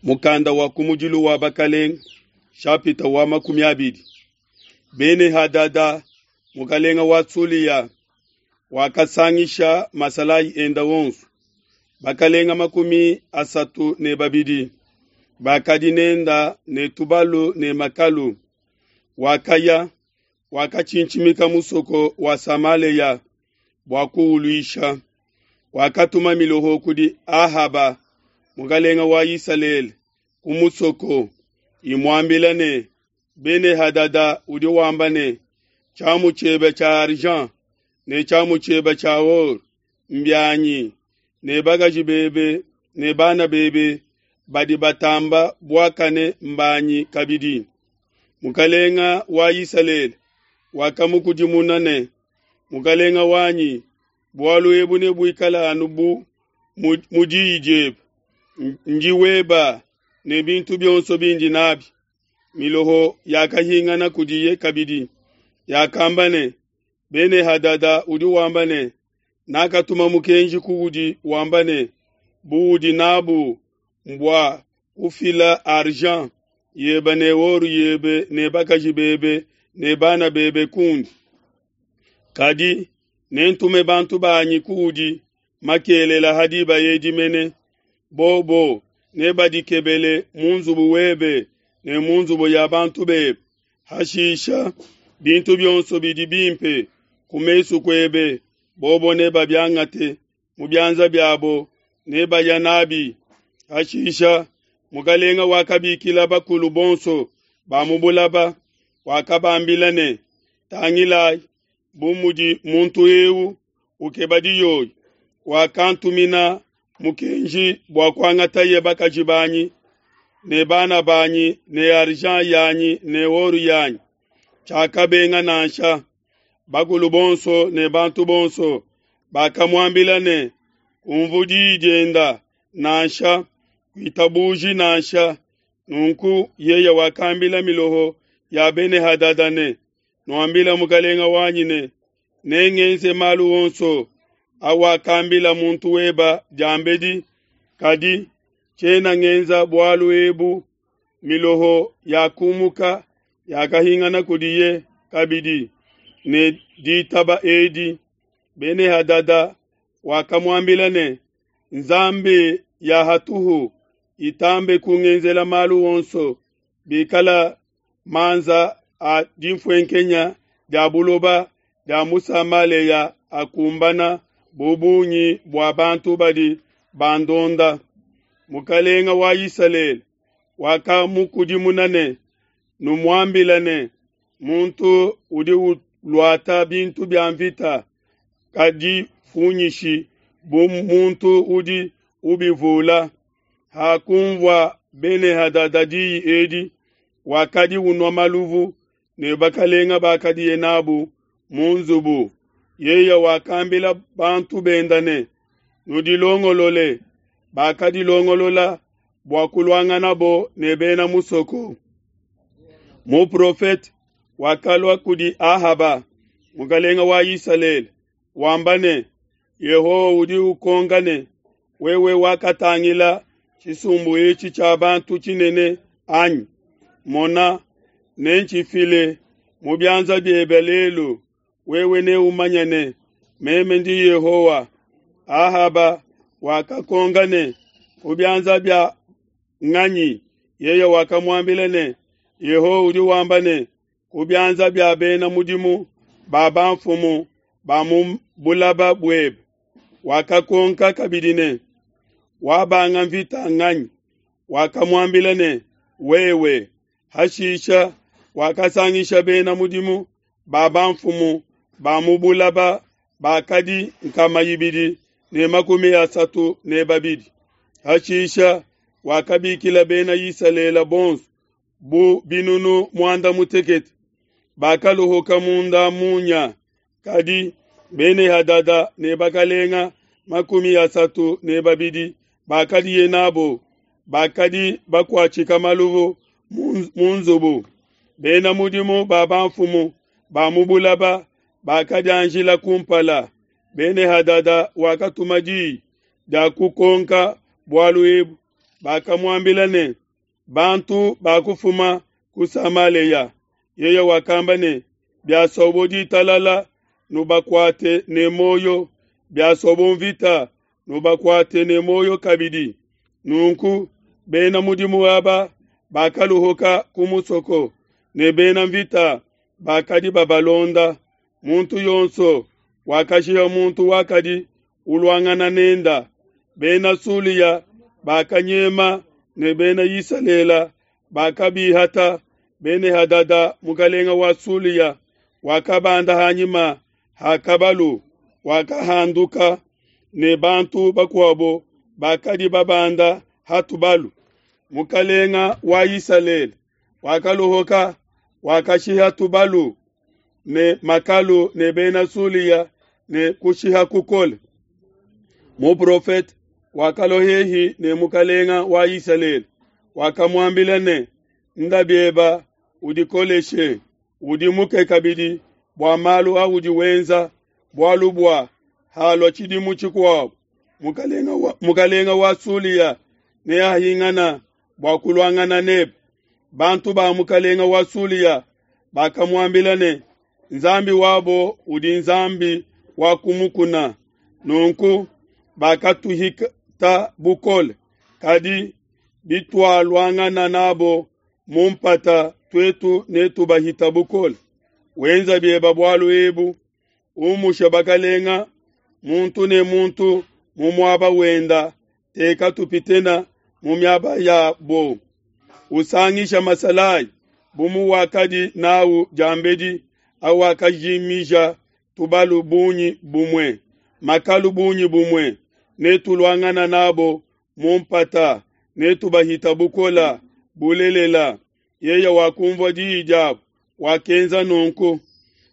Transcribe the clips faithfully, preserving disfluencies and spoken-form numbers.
Mukanda wa kumudilu wa Bakalenga, shapita wa makumi abidi. Bene-Hadada, mukalenga wa Sulia, wakasangisha masalayi enda onso. Bakalenga makumi asatu ne babidi bakadi nenda ne tubalu ne makalu. Wakaya, wakatshintshimika musoko wa Samalea bua kuuluisha. Wakatuma miloho kudi Ahaba, mukalenga wa Isalele, ku musoko, imuambila ne, Bene-Hadada udi wamba ne, tshiamu tshiebe tshia argent ne tshiamu tshiebe tshia or mbianyi, ne bakaji bebe ne bana bebe badi batamba buakane mbanyi kabidi. Mukalenga wa Isalele wakamukudimuna ne, Mukalenga wanyi, bualu ebu nebuikale anu bu mu diyi diebe, ndi weba ne bintu bionso bindi nabi. Miloho yakahingana kudiye kabidi, yakamba ne, Bene-Hadada udi wamba ne, nakatuma mukenji kuudi wamba ne, buudi nabu mbua kufila argent yebe ne or yebe ne bakaji bebe ne bana bebe kundi. Kadi nentume bantu banyi kuudi makelela ha diba edi mene, bobo nebadikebele mu nzubu webe ne mu nzubu ya bantu bebe. Hashisha bintu bionso bidi bimpe ku mesu kuebe, bobo nebabiangate mu bianza biabo, nebaya nabi. Hashisha mukalenga wakabikila bakulu bonso ba mu bulaba, wakabambila ne, Tangilai, bu mudi muntu eu ukeba diyoyi, wakantumina mukenji bua kuangataye bakaji banyi ne bana banyi ne argent yanyi ne or yanyi. Tshiakabenga nansha. Bakulu bonso ne bantu bonso bakamuambila ne, Kumvu diyi dienda nansha, kuitabuji nansha. Nunku yeye wakambila miloho ya Bene-Hadada ne, Nuambila mukalenga wanyi ne, nengenze malu onso awakambila muntu weba diambedi, kadi tshiena ngenza bualu ebu. Miloho yakumuka yakahingana kudiye kabidi ne ditaba edi. Bene-Hadada wakamuambila ne, Nzambi ya hatuhu itambe kungenzela malu onso, bikala manza a dinfuenkenya dia buloba dia mu Samalea akumbana bu bungi bua bantu badi bandonda. Mukalenga wa Isalele wakamukudimuna ne, Numuambila ne, muntu udi uluata bintu bia mvita kadifunyishi bu muntu udi ubivula. Hakunvua Bene-Hadada diyi edi, wakadi unua maluvu ne bakalenga bakadiye nabu mu nzubu. Yeye wakambila bantu benda ne, Nudilongolole. Bakadilongolola bua kuluanganabo ne bena musoko. Muprofete wakalua kudi Ahaba, mukalenga wa Isalele, wamba ne, Yehowa udi ukonka ne, wewe wakatangila tshisumbu etshi tshia bantu tshinene anyi? Mona, nentshifile mu bianza biebe lelu, wewe neumanye ne, meme ndi Yehowa. Ahaba wakakonka ne, ku bianza bia nganyi? Yeye wakamuambila ne, Yehowa udi wamba ne, ku bianza bia bena mudimu ba bamfumu ba mu bulaba buebe. Wakakonka kabidi ne, wabanga mvita nganyi? Wakamuambila ne, wewe. Hashisha wakasangisha bena mudimu ba bamfumu ba mu bulaba bakadi nkama ibidi ne makumi asatu ne babidi. Hashisha wakabikila bena Isalele bonso bu binunu muanda mutekete. Bakaluhuka munda munya, kadi Bene-Hadada ne bakalenga makumi asatu ne babidi bakadiye nabo bakadi bakuatshika maluvu mu nzubu. Bena mudimu ba bamfumu ba mu bulaba bakadianjila kumpala. Bene-Hadada wakatuma diyi dia kukonka bualu ebu. Bakamuambila ne, Bantu bakufuma ku Samalea. Yeye wakamba ne, Biasobo ditalala, nubakuate ne muoyo, biasobo mvita, nubakuate ne muoyo kabidi. Nunku bena mudimu aba bakaluhuka ku musoko, ne bena mvita bakadi babalonda. Muntu yonso wakashiha muntu wakadi uluangana nenda. Bena Sulia bakanyema ne Bena Isalele bakabihata. Bene-hadada mukelenge wa Sulia wakabanda ha nyima ha kabalu, wakahanduka ne bantu bakuabo bakadi babanda ha tubalu. Mukelenge wa Isalele wakaluhuka, wakashiha tubalu ne makalu ne Bena Sulia ne kushiha kukole. Muprofete wakalua hehi ne mukelenge wa Isalele, wakamuambila ne, Nda bieba udikoleshe, udimuke kabidi bua malu audi wenza, bualu bua halua tshidimu tshikuabo, mukelenge wa, mukelenge wa Sulia neahingana bua kuluangana nebe. Bantu ba mukelenge wa Sulia bakamuambila ne, Nzambi wabo udi Nzambi wa kumukuna, nunku bakatuhita bukole. Kadi bitualuangana nabo mu mpata, tuetu netubahita bukole. Wenza bieba bualu ebu, umushe bakalenga muntu ne muntu mu muaba wenda, teka tupitena mu miaba yabo. Usangisha masalayi bu muwakadi nawu diambedi, awakajimija tubalu bungi bumue, makalu bungi bumue, netuluangana nabo mu mpata, netubahita bukola bulelela. Yeye wakumvua diyi diabo, wakenza nunku.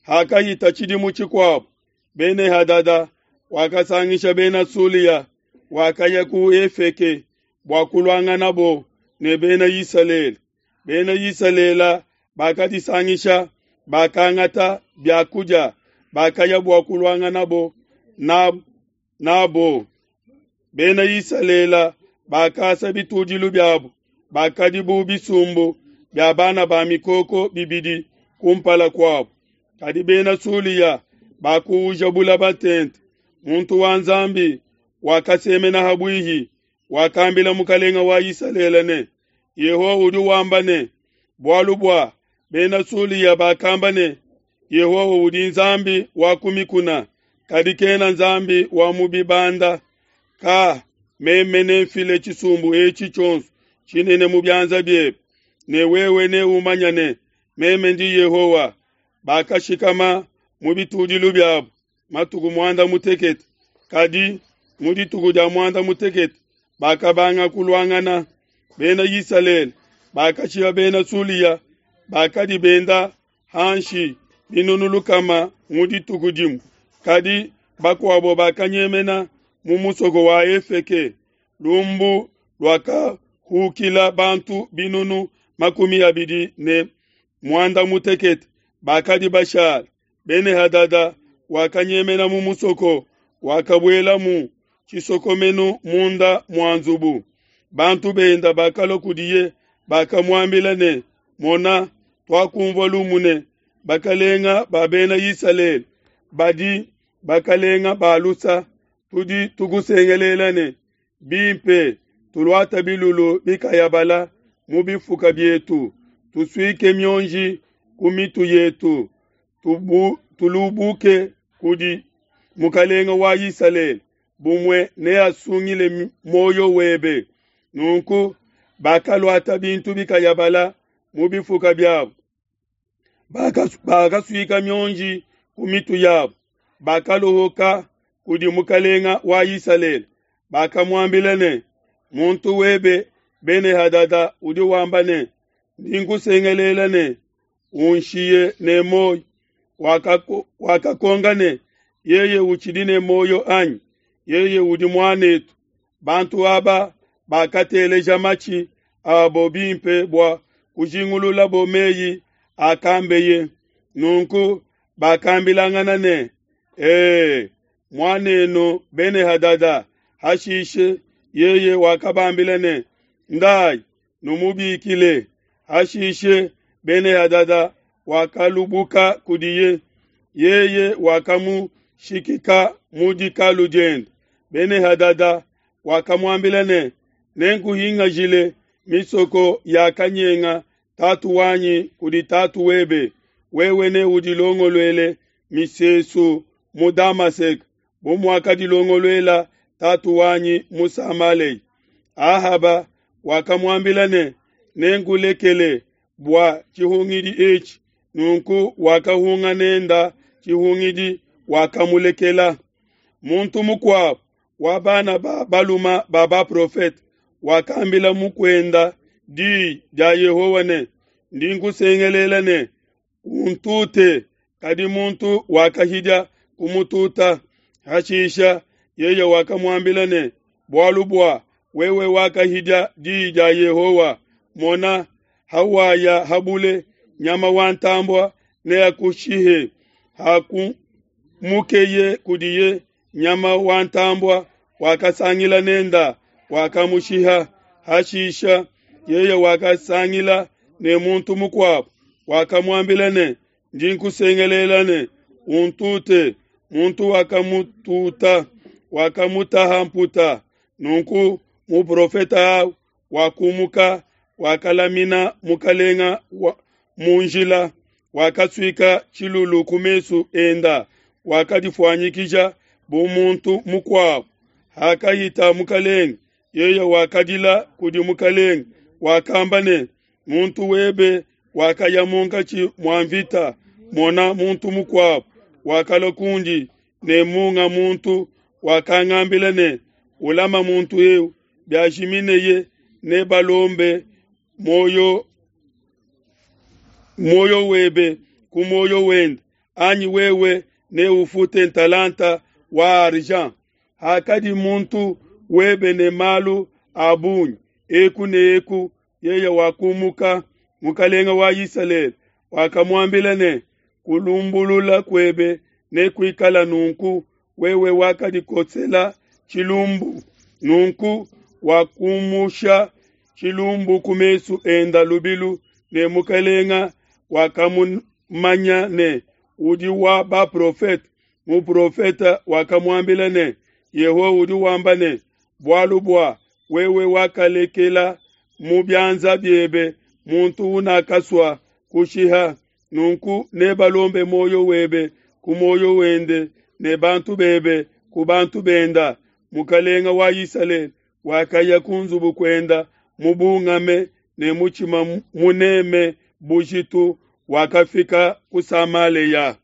Hakahita tshidimu tshikuabo, Bene-hadada wakasangisha Bena Sulia, wakaya ku Efeke bua kuluanganabo ne Bena Isalele. Bena Isalele bakadisangisha, bakangata bia kudia, bakaya bua kuluanganabo nabo. Bena Isalele bakasa bitudilu biabo, bakadi bu bisumbu bia bana ba mikoko bibidi kumpala kuabo. Kadi Bena Sulia bakuuja bulaba tente. Muntu wa Nzambi wakasemena ha bwihi, wakambila mukelenge wa Isalele ne, Yehowa udi wamba ne, bualu bua Bena Sulia bakamba ne, Yehowa udi Nzambi wa ku mikuna, kadi kena Nzambi wa mu bibanda. Ka meme nemfile tshisumbu etshi tshionso tshinene mu bianza biebe, ne wewe neumanye ne, meme ndi Yehowa. Bakashikama mu bitudilu biabo matuku muanda mutekete, kadi mu dituku dia muanda mutekete bakabanga kuluangana. Bena Isalele bakashiha Bena Sulia bakadi benda hanshi binunu lukama mu dituku dimue, kadi bakuabo bakanyemena mu musoko wa Efeke. Lumbu luakahukila bantu binunu makumi abidi ne muanda mutekete bakadi bashala. Bene-hadada wakanyemena mu musoko, wakabuela mu tshisokomenu munda mua nzubu. Bantu benda bakalua kudiye, bakamuambila ne, Mona, tuakumvua lumu ne, bakalenga ba Bena Isalele badi bakalenga ba lusa. Tudi tukusengelela ne, bimpe tuluata bilulu bikayabala mu bifuka bietu, tusuike mionji ku mitu yetu, tubu, tulubuke kudi mukelenge wa Isalele, bumue neasungile muoyo webe. Nunku bakaluata bintu bikayabala mu bifuka biabo, bakasuika mionji ku mitu yabo, bakaluhuka kudi mukelenge wa Isalele. Bakamuambila ne, muntu webe Bene-hadada udi wamba ne, ndi nkusengelela ne, unshiye ne muoyo. Wakakonga ne, yeye utshidi ne muoyo anyi? Yeye udi muanetu. Bantu aba bakateleja matshi abo bimpe bua kujingululabo meyi akambeye. Nunku bakambilangana ne, ee, muanenu Bene-hadada. Hashishe yeye wakabambila ne, Ndai, numubikile. Hashishe Bene-Hadada wakalubuka kudiye, yeye wakamushikika mu dikalu diende. Bene-Hadada wakamuambila ne, Nenkuhingajile misoko yakanyenga tatu wanyi kudi tatu webe, wewe neudilongoluele misesu mu Damaseke bu muakadilongoluela tatu wanyi mu Samalea. Ahaba wakamuambila ne, Nenkulekele bua tshihungidi etshi. Nunku wakahunga nenda tshihungidi, wakamulekela. Muntu mukuabo wa bana ba baluma ba baprofete wakambila mukuenda di dia Yehowa ne, Ndi nkusengelela ne, untute. Kadi muntu wakahidia kumututa. Hashisha yeye wakamuambila ne, Bualu bua wewe wakahidia di dia Yehowa, mona, hawaya habule, nyama wa ntambua neakushihe. Hakumukeye kudiye, nyama wa ntambua wakasangila nenda, wakamushiha. Hashisha yeye wakasangila ne muntu mukuabo, wakamuambila ne, Ndi nkusengelela ne, untute. Muntu wakamututa, wakamutaha mputa. Nunku muprofete awu wakumuka, wakalamina mukalenga wa mu njila, wakasuika tshilulu ku mesu enda, wakadifuanyikija bu muntu mukuabo. Hakahita mukalenge, yeye wakadila kudi mukalenge, wakamba ne, Muntu webe wakaya munkatshi mua mvita, mona muntu mukuabo wakalua kundi ne munga muntu wakangambila ne, Ulama muntu eu, biajimineye nebalombe muoyo muoyo webe ku muoyo wende, anyi wewe neufute ntalanta wa argent. Hakadi muntu webe ne malu a bungi eku ne eku, yeye wakumuka. Mukalenga wa Isalele wakamuambila ne, Kulumbulula kuebe nekuikala nunku, wewe wakadikosela tshilumbu. Nunku wakumusha tshilumbu ku mesu enda lubilu, ne mukalenga wakamumanya ne, udi wa baprofete. Muprofete wakamuambila ne, Yehowa udi wamba ne, Bualu bua wewe wakalekela mu bianza biebe muntu unakasua kushiha, nunku nebalombe muoyo webe ku muoyo wende ne bantu bebe ku bantu benda. Mukalenga wa Isalele wakaya ku nzubu kuenda mubungame ne mutshima muneme bujitu, wakafika ku Samalea.